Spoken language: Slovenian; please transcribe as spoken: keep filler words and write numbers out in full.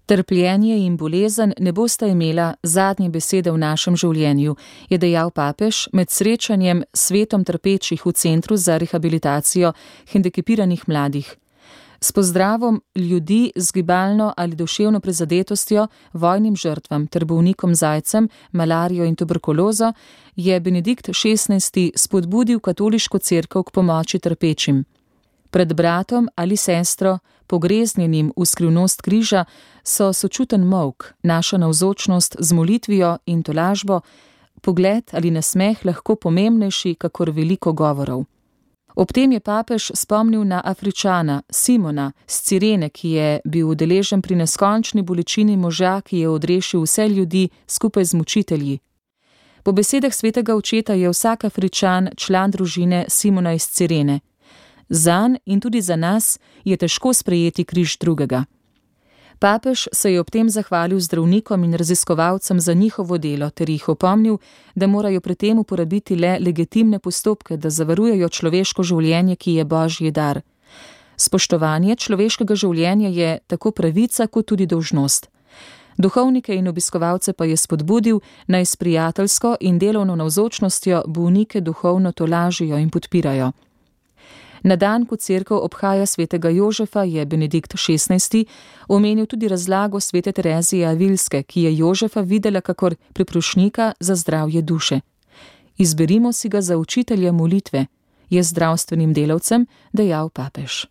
Trpljenje in bolezen ne bosta imela zadnje besede v našem življenju, je dejal papež med srečanjem s svetom trpečih v Centru za rehabilitacijo hendikepiranih mladih. S pozdravom ljudi z gibalno ali duševno prizadetostjo, vojnim žrtvam ter bolnikom z aidsom, malarijo in tuberkulozo je Benedikt šestnajsti spodbudil katoliško cerkev k pomoči trpečim. Pred bratom ali sestro, pogreznjenim v skrivnost križa, so sočuten molk, naša navzočnost z molitvijo in tolažbo, pogled ali nasmeh lahko pomembnejši kakor veliko govorov. Ob tem je papež spomnil na Afričana, Simona, z Cirene, ki je bil udeležen pri neskončni bolečini moža, ki je odrešil vse ljudi skupaj z mučitelji. Po besedah svetega očeta je vsak Afričan član družine Simona iz Cirene. Zanj in tudi za nas je težko sprejeti križ drugega. Papež se je ob tem zahvalil zdravnikom in raziskovalcem za njihovo delo ter jih opomnil, da morajo pri tem uporabiti le legitimne postopke, da zavarujejo človeško življenje, ki je božji dar. Spoštovanje človeškega življenja je tako pravica kot tudi dolžnost. Duhovnike in obiskovalce pa je spodbudil, naj s prijateljsko in delovno navzočnostjo bolnike duhovno tolažijo in podpirajo. Na dan, ko cerkev obhaja svetega Jožefa, je Benedikt šestnajsti omenil tudi razlago svete Terezije Avilske, ki je Jožefa videla kakor priprošnjika za zdravje duše. Izberimo si ga za učitelja molitve, je zdravstvenim delavcem dejal papež.